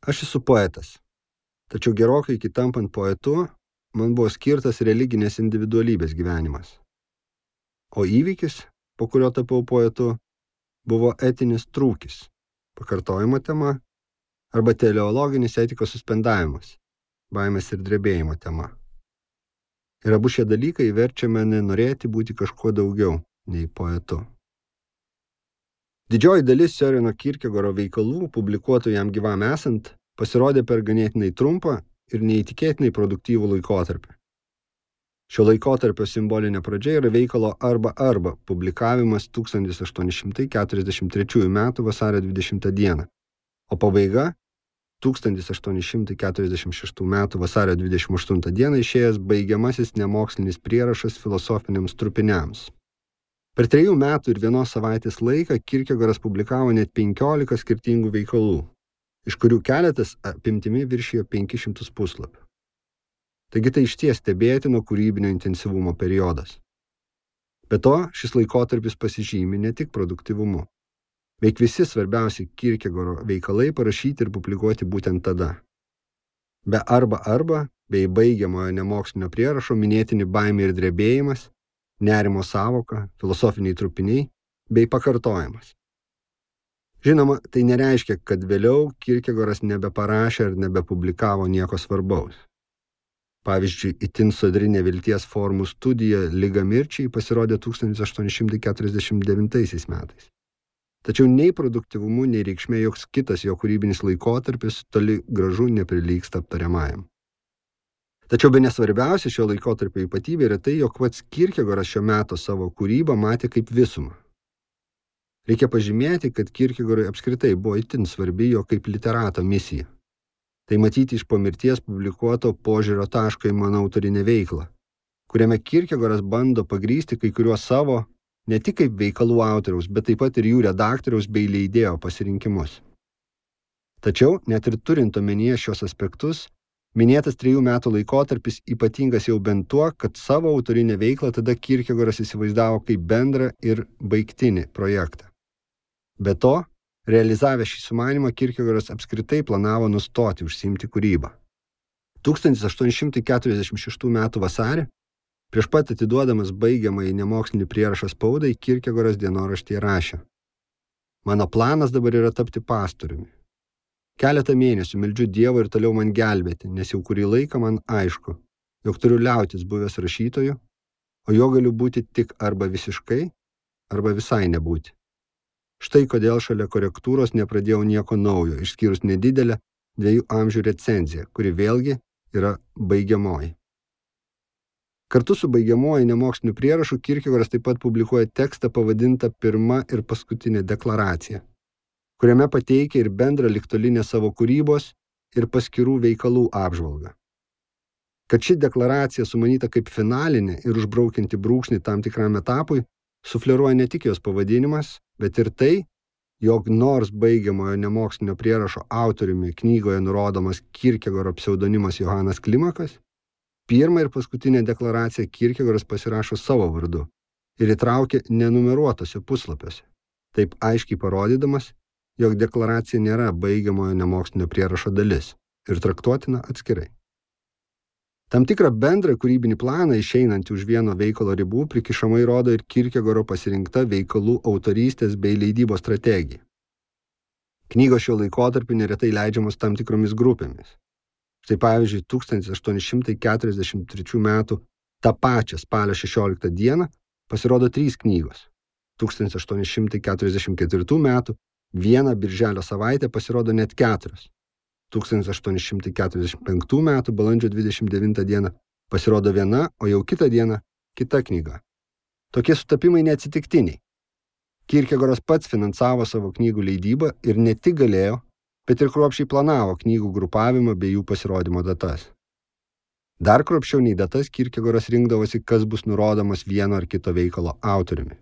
Aš esu poetas, tačiau gerokai iki tampant poetu man buvo skirtas religinės individualybės gyvenimas. O įvykis, po kurio tapau poetu, buvo etinis trūkis, pakartojimo tema arba teleologinis etikos suspendavimas, baimės ir drebėjimo tema. Ir abu šie dalykai verčia mane norėti būti kažkuo daugiau nei poetu. Didžioji dalis Søreno Kierkegaardo veikalų, publikuotų jam gyvam esant, pasirodė per ganėtinai trumpą ir neįtikėtinai produktyvų laikotarpį. Šio laikotarpio simbolinė pradžia yra veikalo Arba publikavimas 1843 m. vasario 20 d., o pabaiga 1846 m. vasario 28 d. išėjęs baigiamasis nemokslinis prierašas filosofiniams trupiniams. Per 3 metų ir 1 savaitės laiką Kierkegaardas publikavo net 15 skirtingų veikalų, iš kurių keletas apimtimi viršijo 500 puslapių. Taigi tai išties stebėtino kūrybinio intensyvumo periodas. Be to, šis laikotarpis pasižymi ne tik produktyvumu. Beveik visi svarbiausi Kierkegaardo veikalai parašyti ir publikuoti būtent tada. Be Arba, bei baigiamojo nemokslinio prierašo minėtini baimė ir drebėjimas, nerimo sąvoka, filosofiniai trupiniai bei pakartojimas. Žinoma, tai nereiškia, kad vėliau Kierkegaardas nebeparašė ar nebepublikavo nieko svarbaus. Pavyzdžiui, itin sodri nevilties formų studija Liga mirčiai pasirodė 1849 metais. Tačiau nei produktyvumu, nei reikšmė joks kitas jo kūrybinis laikotarpis toli gražu neprilygsta aptariamajam. Tačiau bene svarbiausia šio laikotarpio ypatybė yra tai, jog pats Kierkegaardas šio meto savo kūrybą matė kaip visumą. Reikia pažymėti, kad Kierkegaardui apskritai buvo itin svarbi jo kaip literato misija. Tai matyti iš po mirties publikuoto požiūrio taško į mano autorinę veiklą, kuriame Kierkegaardas bando pagrįsti kai kuriuos savo, ne tik kaip veikalų autoriaus, bet taip pat ir jų redaktoriaus bei leidėjo pasirinkimus. Tačiau, net ir turint omenyje šios aspektus, minėtas 3 metų laikotarpis ypatingas jau bent tuo, kad savo autorinę veiklą tada Kierkegaardas įsivaizdavo kaip bendrą ir baigtinį projektą. Be to, realizavę šį sumanymą, Kierkegaardas apskritai planavo nustoti užsiimti kūrybą. 1846 m. vasarį, prieš pat atiduodamas baigiamąjį nemokslinį prierašą spaudai, Kierkegaardas dienoraštyje rašė: Mano planas dabar yra tapti pastoriumi. Keletą mėnesių meldžiu Dievą ir toliau man gelbėti, nes jau kurį laiką man aišku, jog turiu liautis buvęs rašytoju, o jo galiu būti tik arba visiškai, arba visai nebūti. Štai kodėl šalia korektūros nepradėjau nieko naujo, išskyrus nedidelę 2 amžių recenziją, kuri vėlgi yra baigiamoji. Kartu su baigiamoji nemoksliniu prierašu Kierkegaardas taip pat publikuoja tekstą pavadintą Pirma ir paskutinė deklaracija, kuriame pateikia ir bendrą ligtolinę savo kūrybos ir paskirų veikalų apžvalgą. Kad ši deklaracija sumanyta kaip finalinė ir užbraukianti brūkšnį tam tikram etapui, sufleruoja ne tik jos pavadinimas, bet ir tai, jog nors baigiamojo nemokslinio prierašo autoriumi knygoje nurodomas Kierkegaardo pseudonimas Johanas Klimakas, pirmą ir paskutinę deklaraciją Kierkegaardas pasirašo savo vardu ir įtraukia nenumeruotose puslapiuose, taip aiškiai parodydamas, jog deklaracija nėra baigiamojo nemokslinio prierašo dalis ir traktuotina atskirai. Tam tikrą bendrą kūrybinį planą išeinantį už vieno veikalo ribų prikišamai rodo ir Kierkegaardo pasirinkta veikalų autorystės bei leidybos strategija. Knygos šio laikotarpiu neretai leidžiamos tam tikromis grupėmis. Štai pavyzdžiui, 1843 metų tą pačią spalio 16 dieną pasirodo 3 knygos. 1844 metų vieną birželio savaitę pasirodo net 4. 1845 metų balandžio 29 dieną pasirodo viena, o jau kitą dieną kita knyga. Tokie sutapimai neatsitiktiniai. Kierkegaardas pats finansavo savo knygų leidybą ir ne tik galėjo, bet ir kruopščiai planavo knygų grupavimą bei jų pasirodymo datas. Dar kruopščiau nei datas Kierkegaardas rinkdavosi, kas bus nurodomas vieno ar kito veikalo autoriumi.